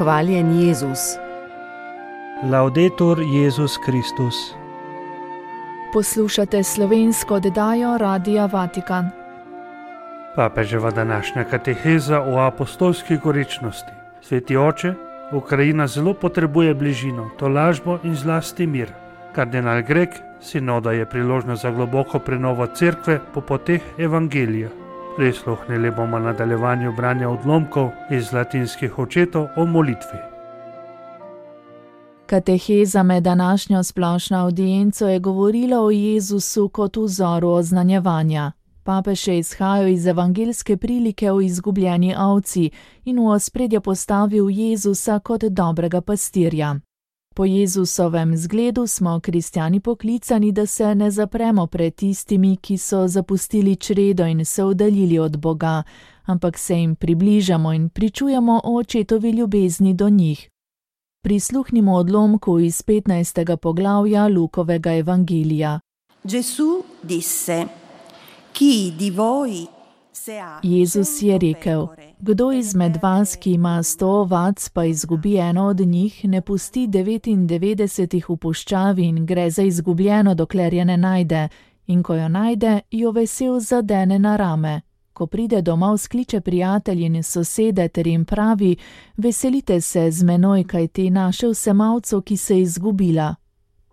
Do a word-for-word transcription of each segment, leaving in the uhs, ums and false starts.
Hvaljen Jezus. Laudetur Jezus Kristus. Poslušate slovensko oddajo Radia Vatikan. Papeževa današnja kateheza o apostolski gorečnosti. Sveti oče, Ukrajina zelo potrebuje bližino, tolažbo in zlasti mir. Kardinal Grek, sinoda je priložnost za globoko prenovo cerkve po poteh evangelija. Prisluhnili bomo nadaljevanju branja odlomkov iz latinskih očetov o molitvi. Kateheza med današnjo splošno avdienco je govorila o Jezusu kot vzoru oznanjevanja. Papež je izhajal iz evangeljske prilike o izgubljeni ovci in v ospredje postavil Jezusa kot dobrega pastirja. Po Jezusovem zgledu smo kristjani poklicani, da se ne zapremo pred tistimi, ki so zapustili čredo in se oddaljili od Boga, ampak se jim približamo in pričujemo o očetovi ljubezni do njih. Prisluhnimo odlomku iz petnajstega poglavja Lukovega evangelija. Gesù disse: Chi di voi se ha Jezus je rekel: Kdo izmed vas, ki ima sto ovac, pa izgubi eno od njih, ne pusti devetindevetdesetih v puščavi in gre za izgubljeno, dokler je ne najde, in ko jo najde, jo vesel zadene na rame. Ko pride domov, skliče prijatelji in sosede ter jim pravi: Veselite se z menoj, kajti našel sem ovco, ki se je izgubila.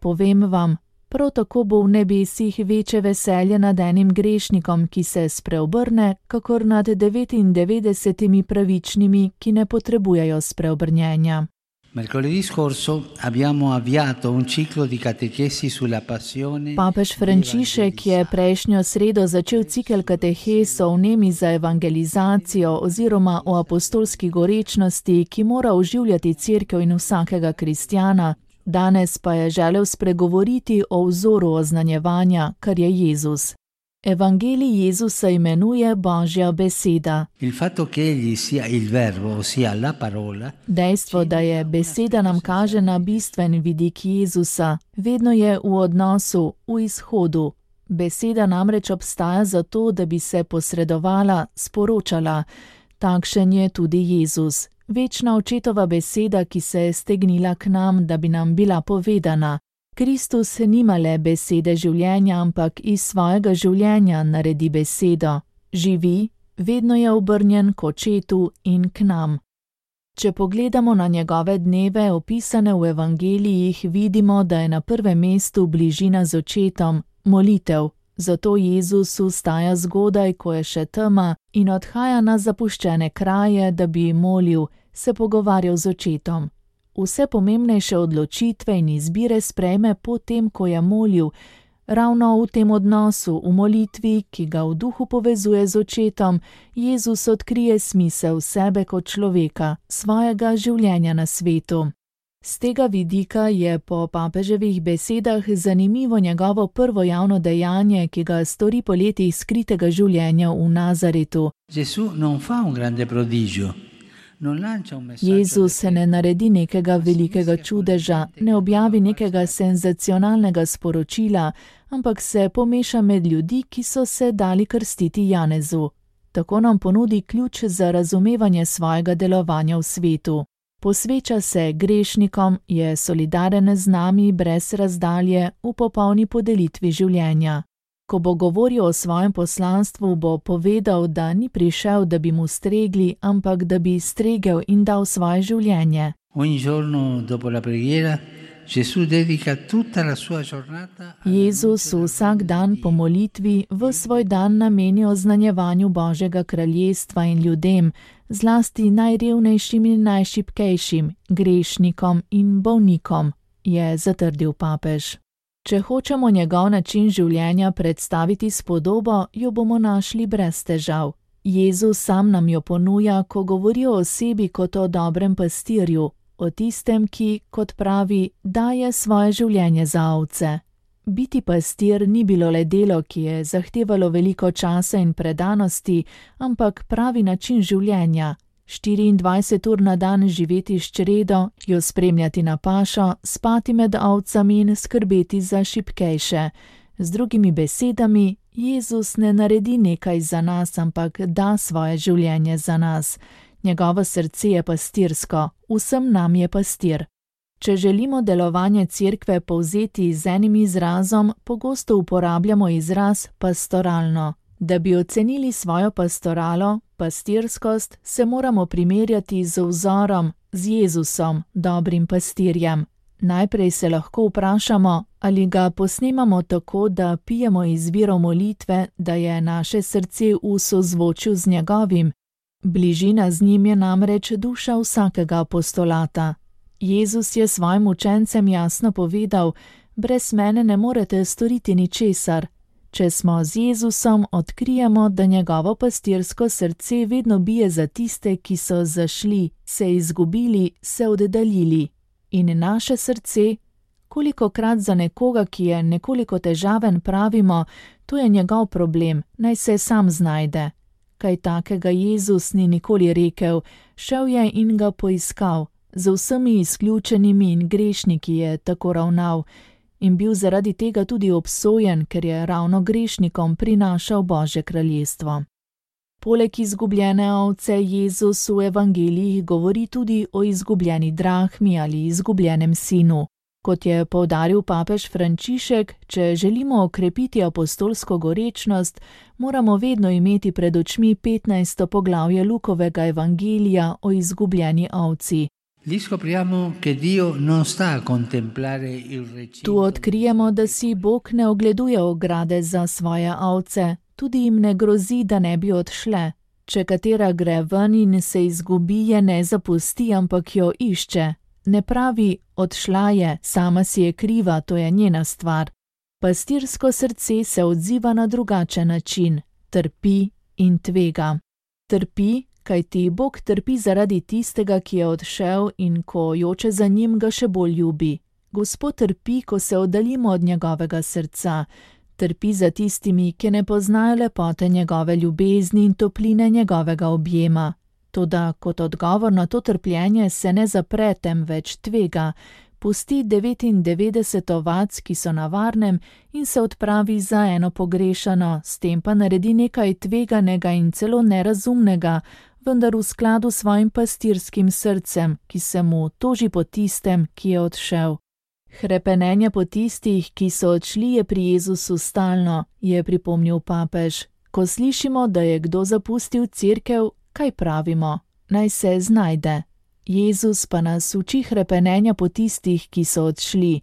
Povem vam, prav tako bo v nebesih večje veselje nad enim grešnikom, ki se spreobrne, kakor nad devetindevetdesetimi pravičnimi, ki ne potrebujejo spreobrnjenja. Mercoledì scorso abbiamo avviato un ciclo di catechesi sulla passione. Papež Frančišek je prejšnjo sredo začel cikel katehes o vnemi za evangelizacijo oziroma o apostolski gorečnosti, ki mora oživljati cerkev in vsakega kristjana. Danes pa je želel spregovoriti o vzoru oznanjevanja, kar je Jezus. Evangelij Jezusa imenuje Božja beseda. Il fatto che egli sia il verbo, ossia la parola. Dejstvo, da je beseda, nam kaže na bistven vidik Jezusa. Vedno je v odnosu, v izhodu. Beseda namreč obstaja zato, da bi se posredovala, sporočala. Takšen je tudi Jezus. Večna očetova beseda, ki se je stegnila k nam, da bi nam bila povedana. Kristus nima le besede življenja, ampak iz svojega življenja naredi besedo. Živi, vedno je obrnjen k očetu in k nam. Če pogledamo na njegove dneve, opisane v evangelijih, vidimo, da je na prvem mestu bližina z očetom, molitev. Zato Jezus vstaja zgodaj, ko je še tema, in odhaja na zapuščene kraje, da bi molil, se pogovarjal z očetom. Vse pomembnejše odločitve in izbire sprejme potem, ko je molil, ravno v tem odnosu, v molitvi, ki ga v duhu povezuje z očetom, Jezus odkrije smisel sebe kot človeka, svojega življenja na svetu. Z tega vidika je po papeževih besedah zanimivo njegovo prvo javno dejanje, ki ga stori po letih skritega življenja v Nazaretu. Gesù non fa un grande prodigio. Jezus ne naredi nekega velikega čudeža, ne objavi nekega senzacionalnega sporočila, ampak se pomeša med ljudi, ki so se dali krstiti Janezu. Tako nam ponudi ključ za razumevanje svojega delovanja v svetu. Posveča se grešnikom, je solidaren z nami brez razdalje v popolni podelitvi življenja. Ko bo govoril o svojem poslanstvu, bo povedal, da ni prišel, da bi mu stregli, ampak da bi stregel in dal svoje življenje. Ogni giorno dopo la preghiera Gesù dedica tutta la sua giornata. Jezus vsak dan po molitvi v svoj dan nameni oznanjevanju Božjega kraljestva in ljudem, zlasti najrevnejšim in najšibkejšim, grešnikom in bolnikom, je zatrdil papež. Če hočemo njegov način življenja predstaviti s podobo, jo bomo našli brez težav. Jezus sam nam jo ponuja, ko govori o osebi kot o dobrem pastirju, o tistem, ki, kot pravi, daje svoje življenje za ovce. Biti pastir ni bilo le delo, ki je zahtevalo veliko časa in predanosti, ampak pravi način življenja. štiriindvajset ur na dan živeti s čredo, jo spremljati na pašo, spati med ovcami in skrbeti za šibkejše. Z drugimi besedami, Jezus ne naredi nekaj za nas, ampak da svoje življenje za nas. Njegovo srce je pastirsko, vsem nam je pastir. Če želimo delovanje cerkve povzeti z enim izrazom, pogosto uporabljamo izraz pastoralno. Da bi ocenili svojo pastoralo, pastirskost, se moramo primerjati z vzorom, z Jezusom, dobrim pastirjem. Najprej se lahko vprašamo, ali ga posnemamo tako, da pijemo iz virov molitve, da je naše srce v sozvočju z njegovim. Bližina z njim je namreč duša vsakega apostolata. Jezus je svojim učencem jasno povedal: brez mene ne morete storiti ničesar. Če smo z Jezusom, odkrijemo, da njegovo pastirsko srce vedno bije za tiste, ki so zašli, se izgubili, se oddaljili. In naše srce, kolikokrat za nekoga, ki je nekoliko težaven, pravimo: to je njegov problem, naj se sam znajde. Kaj takega Jezus ni nikoli rekel, šel je in ga poiskal. Z vsemi izključenimi in grešniki je tako ravnal in bil zaradi tega tudi obsojen, ker je ravno grešnikom prinašal Božje kraljestvo. Poleg izgubljene ovce Jezus v evangelijih govori tudi o izgubljeni drahmi ali izgubljenem sinu. Kot je poudaril papež Frančišek, če želimo okrepiti apostolsko gorečnost, moramo vedno imeti pred očmi petnajsto poglavje Lukovega evangelija o izgubljeni ovci. Tu odkrijemo, da si Bog ne ogleduje ograde za svoje ovce, tudi jim ne grozi, da ne bi odšle. Če katera gre ven in se izgubi, je ne zapusti, ampak jo išče. Ne pravi: odšla je, sama si je kriva, to je njena stvar. Pastirsko srce se odziva na drugačen način, trpi in tvega. Trpi, kajti Bog trpi zaradi tistega, ki je odšel, in ko joče za njim, ga še bolj ljubi. Gospod trpi, ko se oddaljimo od njegovega srca. Trpi za tistimi, ki ne poznajo lepote njegove ljubezni in topline njegovega objema. Toda kot odgovor na to trpljenje se ne zapre, temveč tvega, pusti devetindevetdeset ovac, ki so na varnem, in se odpravi za eno pogrešano, s tem pa naredi nekaj tveganega in celo nerazumnega, vendar v skladu s svojim pastirskim srcem, ki se mu toži po tistem, ki je odšel. Hrepenenje po tistih, ki so odšli, je pri Jezusu stalno, je pripomnil papež. Ko slišimo, da je kdo zapustil cerkev, kaj pravimo? Naj se znajde. Jezus pa nas uči hrepenenja po tistih, ki so odšli.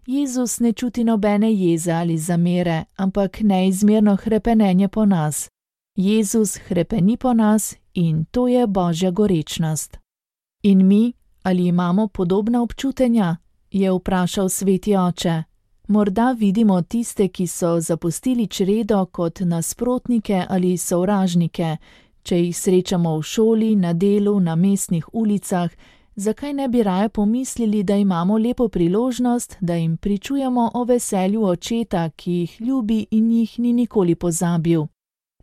Jezus ne čuti nobene jeze ali zamere, ampak neizmerno hrepenenje po nas. Jezus hrepeni po nas in to je Božja gorečnost. In mi, ali imamo podobna občutenja? Je vprašal sveti oče. Morda vidimo tiste, ki so zapustili čredo, kot nasprotnike ali sovražnike. Če jih srečamo v šoli, na delu, na mestnih ulicah, zakaj ne bi raje pomislili, da imamo lepo priložnost, da jim pričujemo o veselju očeta, ki jih ljubi in jih ni nikoli pozabil.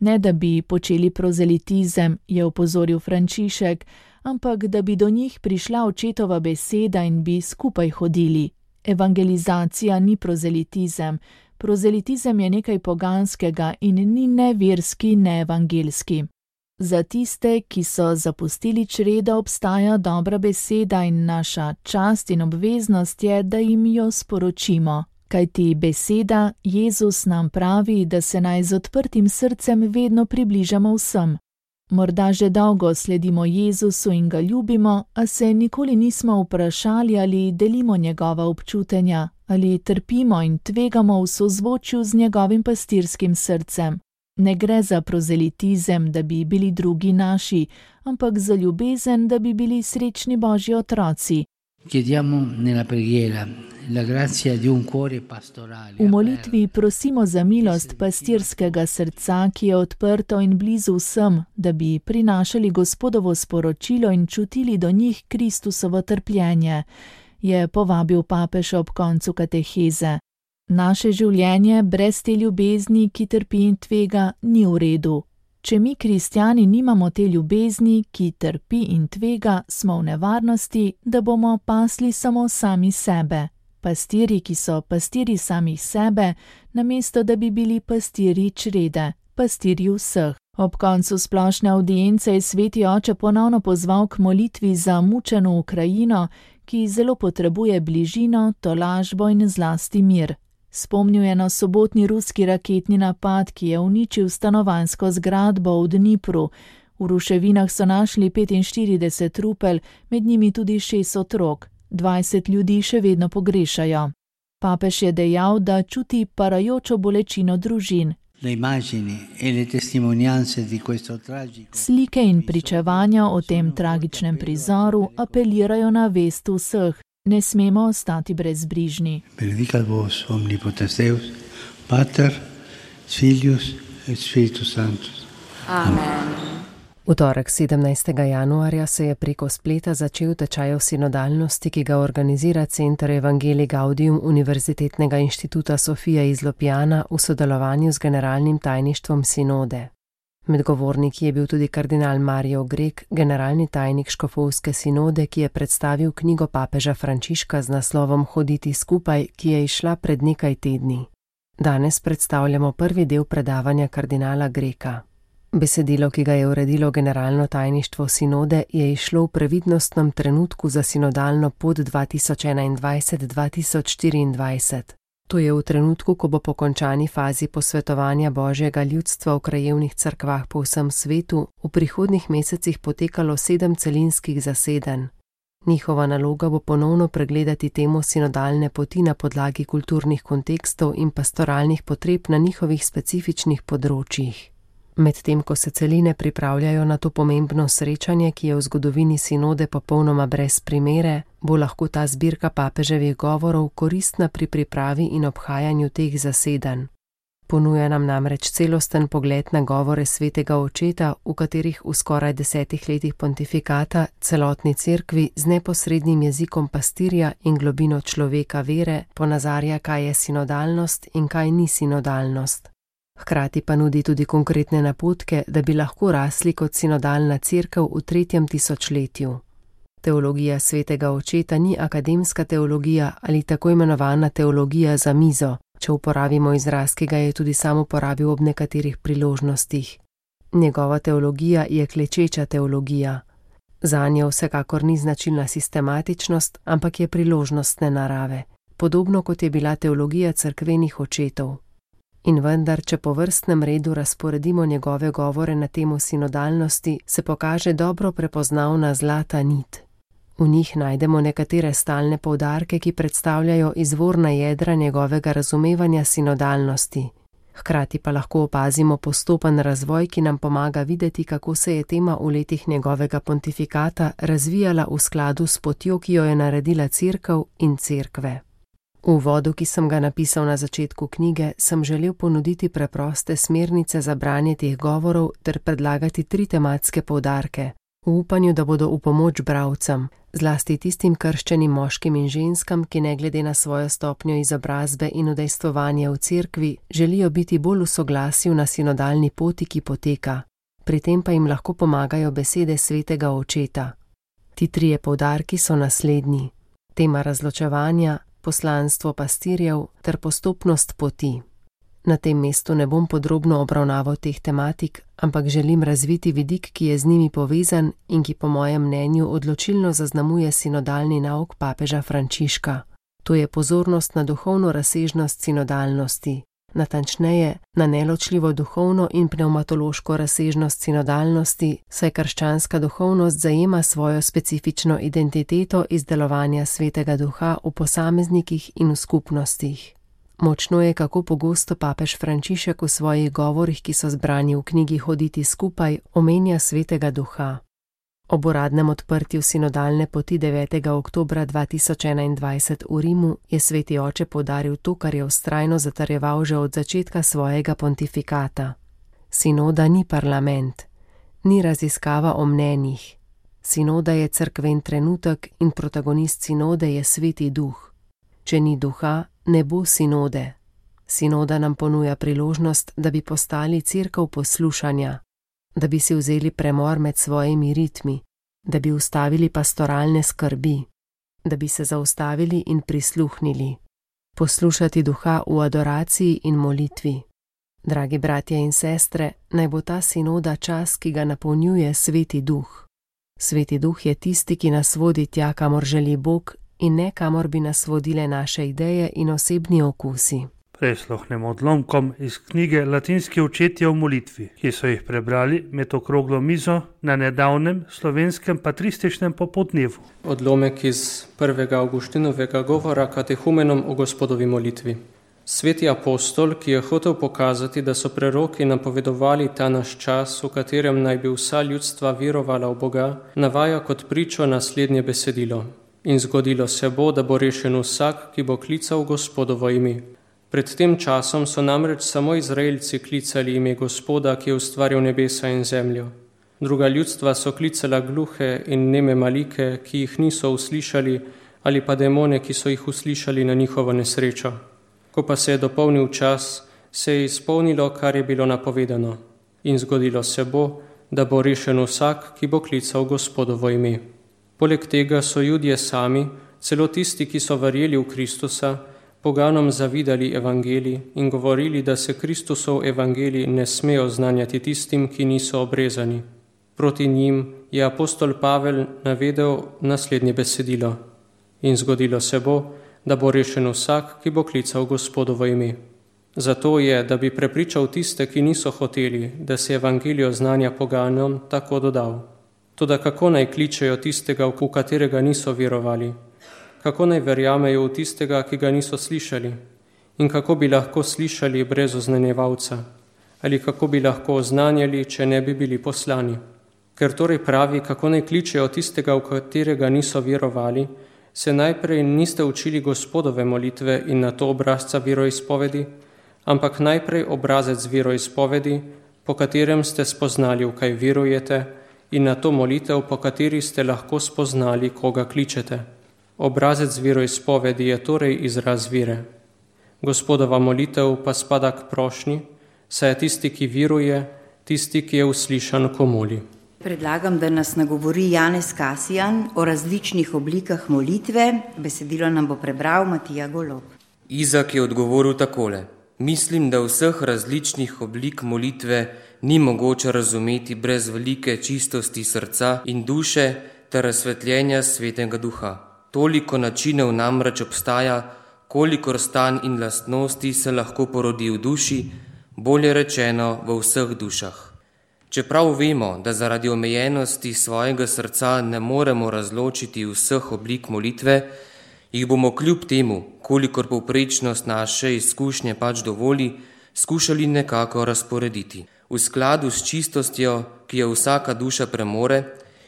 Ne da bi počeli prozelitizem, je opozoril Frančišek, ampak da bi do njih prišla očetova beseda in bi skupaj hodili. Evangelizacija ni prozelitizem. Prozelitizem je nekaj poganskega in ni ne verski, ne evangelski. Za tiste, ki so zapustili čredo, obstaja dobra beseda in naša čast in obveznost je, da jim jo sporočimo. Kajti beseda, Jezus nam pravi, da se naj z odprtim srcem vedno približamo vsem. Morda že dolgo sledimo Jezusu in ga ljubimo, a se nikoli nismo vprašali, ali delimo njegova občutenja, ali trpimo in tvegamo v sozvočju z njegovim pastirskim srcem. Ne gre za prozelitizem, da bi bili drugi naši, ampak za ljubezen, da bi bili srečni Božji otroci. V molitvi prosimo za milost pastirskega srca, ki je odprto in blizu vsem, da bi prinašali Gospodovo sporočilo in čutili do njih Kristusovo trpljenje, je povabil papež ob koncu kateheze. Naše življenje brez te ljubezni, ki trpi in tvega, ni v redu. Če mi, kristjani, nimamo te ljubezni, ki trpi in tvega, smo v nevarnosti, da bomo pasli samo sami sebe. Pastiri, ki so pastiri samih sebe, namesto da bi bili pastiri črede, pastiri vseh. Ob koncu splošne avdience je sveti oče ponovno pozval k molitvi za mučeno Ukrajino, ki zelo potrebuje bližino, tolažbo in zlasti mir. Spomnil je na sobotni ruski raketni napad, ki je uničil stanovanjsko zgradbo v Dnipru. V ruševinah so našli petinštirideset trupel, med njimi tudi šest otrok. dvajset ljudi še vedno pogrešajo. Papež je dejal, da čuti parajočo bolečino družin. Slike in pričevanja o tem tragičnem prizoru apelirajo na vest vseh. Ne smemo ostati brezbrižni. Benedicat vos omnipotens Deus, Pater, Filius et Spiritus Sanctus. Amen. V torek sedemnajstega januarja se je preko spleta začel tečaj o sinodalnosti, ki ga organizira Center Evangelii Gaudium Univerzitetnega inštituta Sofia iz Ljubljane v sodelovanju z generalnim tajništvom sinode. Med govorniki je bil tudi kardinal Mario Grek, generalni tajnik škofovske sinode, ki je predstavil knjigo papeža Frančiška z naslovom Hoditi skupaj, ki je izšla pred nekaj tedni. Danes predstavljamo prvi del predavanja kardinala Greka. Besedilo, ki ga je uredilo generalno tajništvo sinode, je izšlo v previdnostnem trenutku za sinodalno pot dva tisoč enaindvajset do dva tisoč štiriindvajset. To je v trenutku, ko bo po končani fazi posvetovanja Božjega ljudstva v krajevnih cerkvah po vsem svetu v prihodnjih mesecih potekalo sedem celinskih zasedanj. Njihova naloga bo ponovno pregledati temo sinodalne poti na podlagi kulturnih kontekstov in pastoralnih potreb na njihovih specifičnih področjih. Medtem ko se celine pripravljajo na to pomembno srečanje, ki je v zgodovini sinode popolnoma brez primere, bo lahko ta zbirka papeževih govorov koristna pri pripravi in obhajanju teh zasedanj. Ponuja nam namreč celosten pogled na govore svetega očeta, v katerih v skoraj desetih letih pontifikata celotni cerkvi z neposrednim jezikom pastirja in globino človeka vere ponazarja, kaj je sinodalnost in kaj ni sinodalnost. Hkrati pa nudi tudi konkretne napotke, da bi lahko rasli kot sinodalna cerkev v tretjem tisočletju. Teologija svetega očeta ni akademska teologija ali tako imenovana teologija za mizo, če uporabimo izraz, ki ga je tudi sam uporabil ob nekaterih priložnostih. Njegova teologija je klečeča teologija. Zanjo vsekakor ni značilna sistematičnost, ampak je priložnostne narave, podobno kot je bila teologija cerkvenih očetov. In vendar, če po vrstnem redu razporedimo njegove govore na temo sinodalnosti, se pokaže dobro prepoznavna zlata nit. V njih najdemo nekatere stalne poudarke, ki predstavljajo izvorna jedra njegovega razumevanja sinodalnosti. Hkrati pa lahko opazimo postopen razvoj, ki nam pomaga videti, kako se je tema v letih njegovega pontifikata razvijala v skladu s potjo, ki jo je naredila cerkev in cerkve. V uvodu, ki sem ga napisal na začetku knjige, sem želel ponuditi preproste smernice za branje teh govorov ter predlagati tri tematske poudarke, v upanju, da bodo v pomoč bralcem, zlasti tistim krščenim moškim in ženskam, ki ne glede na svojo stopnjo izobrazbe in udejstvovanja v cerkvi, želijo biti bolj v soglasju na sinodalni poti, ki poteka, pri tem pa jim lahko pomagajo besede svetega očeta. Ti trije poudarki so naslednji: tema razločevanja, poslanstvo pastirjev ter postopnost poti. Na tem mestu ne bom podrobno obravnaval teh tematik, ampak želim razviti vidik, ki je z njimi povezan in ki po mojem mnenju odločilno zaznamuje sinodalni nauk papeža Frančiška. To je pozornost na duhovno razsežnost sinodalnosti, natančneje na neločljivo duhovno in pneumatološko razsežnost sinodalnosti, saj krščanska duhovnost zajema svojo specifično identiteto iz delovanja svetega duha v posameznikih in v skupnostih. Močno je, kako pogosto papež Frančišek v svojih govorih, ki so zbrani v knjigi Hoditi skupaj, omenja svetega duha. Ob uradnem odprtju sinodalne poti devetega oktobra dva tisoč enaindvajset v Rimu je sveti oče poudaril to, kar je vztrajno zatrjeval že od začetka svojega pontifikata. Sinoda ni parlament, ni raziskava o mnenjih. Sinoda je cerkven trenutek in protagonist sinode je sveti duh. Če ni duha, ne bo sinode. Sinoda nam ponuja priložnost, da bi postali cerkev poslušanja, da bi si vzeli premor med svojimi ritmi, da bi ustavili pastoralne skrbi, da bi se zaustavili in prisluhnili, poslušati duha v adoraciji in molitvi, Dragi bratje in sestre, naj bo ta sinoda čas, ki ga napolnjuje Sveti Duh. Sveti Duh je tisti, ki nas vodi tja, kamor želi Bog, in ne kamor bi nas vodile naše ideje in osebni okusi. Prisluhnemo odlomkom iz knjige Latinski očetje v molitvi, ki so jih prebrali med okroglo mizo na nedavnem slovenskem patrističnem popodnevu. Odlomek iz prvega Avgustinovega govora katehumenom o Gospodovi molitvi. Sveti apostol, ki je hotel pokazati, da so preroki napovedovali ta naš čas, v katerem naj bi vsa ljudstva verovala v Boga, navaja kot pričo naslednje besedilo. In zgodilo se bo, da bo rešen vsak, ki bo klical Gospodovo ime. Pred tem časom so namreč samo Izraelci klicali ime Gospoda, ki je ustvaril nebesa in zemljo. Druga ljudstva so klicala gluhe in neme malike, ki jih niso uslišali, ali pa demone, ki so jih uslišali na njihovo nesrečo. Ko pa se je dopolnil čas, se je izpolnilo, kar je bilo napovedano. In zgodilo se bo, da bo rešen vsak, ki bo klical Gospodovo ime. Poleg tega so Judje sami, celo tisti, ki so verjeli v Kristusa, poganom zavidali evangelij in govorili, da se Kristusov evangelij ne sme oznanjati tistim, ki niso obrezani. Proti njim je apostol Pavel navedel naslednje besedilo. In zgodilo se bo, da bo rešen vsak, ki bo klical Gospodovo ime. Zato je, da bi prepričal tiste, ki niso hoteli, da se evangelij oznanja poganom, tako dodal. Toda kako naj kličejo tistega, v katerega niso verovali? Kako naj verjamejo v tistega, ki ga niso slišali? In kako bi lahko slišali brez oznanjevalca? Ali kako bi lahko oznanjali, če ne bi bili poslani? Ker torej pravi, kako naj kličejo tistega, v katerega niso verovali, se najprej niste učili Gospodove molitve in na to obrazca veroizpovedi, ampak najprej obrazec veroizpovedi, po katerem ste spoznali, v kaj verujete, in na to molitev, po kateri ste lahko spoznali, koga kličete. Obrazec veroizpovedi je torej izraz vere. Gospodova molitev pa spada k prošnji, saj je tisti, ki veruje, tisti, ki je uslišan, ko moli. Predlagam, da nas nagovori Janez Kasijan o različnih oblikah molitve. Besedilo nam bo prebral Matija Golob. Izak je odgovoril takole. Mislim, da vseh različnih oblik molitve ni mogoče razumeti brez velike čistosti srca in duše ter razsvetljenja Svetega Duha. Toliko načinov namreč obstaja, kolikor stanj in lastnosti se lahko porodi v duši, bolje rečeno v vseh dušah. Čeprav vemo, da zaradi omejenosti svojega srca ne moremo razločiti vseh oblik molitve, jih bomo kljub temu, kolikor povprečnost naše izkušnje pač dovoli, skušali nekako razporediti. V skladu s čistostjo, ki jo vsaka duša premore,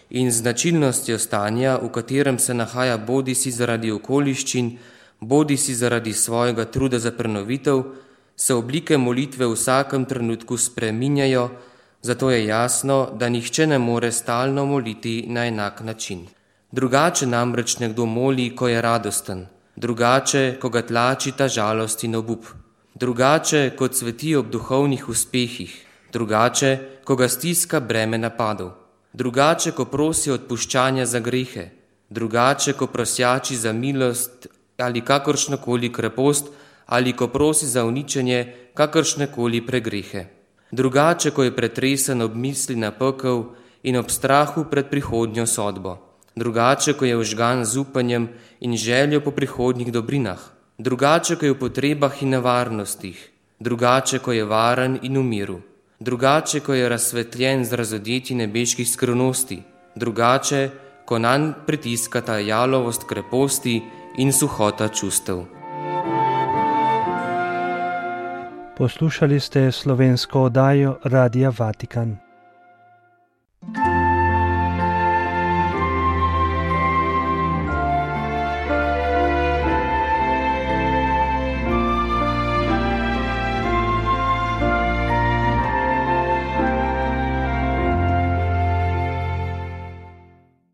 in značilnostjo stanja, v katerem se nahaja bodisi zaradi okoliščin, bodisi zaradi svojega truda za prenovitev, se oblike molitve v vsakem trenutku spreminjajo, zato je jasno, da nihče ne more stalno moliti na enak način. Drugače namreč nekdo moli, ko je radosten, drugače, ko ga tlači ta žalost in obup, drugače, ko cveti ob duhovnih uspehih, drugače, ko ga stiska breme napadov, drugače, ko prosi odpuščanja za grehe, drugače, ko prosjači za milost ali kakršnokoli krepost, ali ko prosi za uničenje kakršnekoli pregrehe. Drugače, ko je pretresen ob misli na pekel in ob strahu pred prihodnjo sodbo. Drugače, ko je vžgan z upanjem in željo po prihodnjih dobrinah. Drugače, ko je v potrebah in nevarnostih. Drugače, ko je varen in v miru. Drugače, ko je razsvetljen z razodetji nebeških skrivnosti. Drugače, ko nanj pritiskata jalovost kreposti in suhota čustev. Poslušali ste slovensko oddajo Radia Vatikan.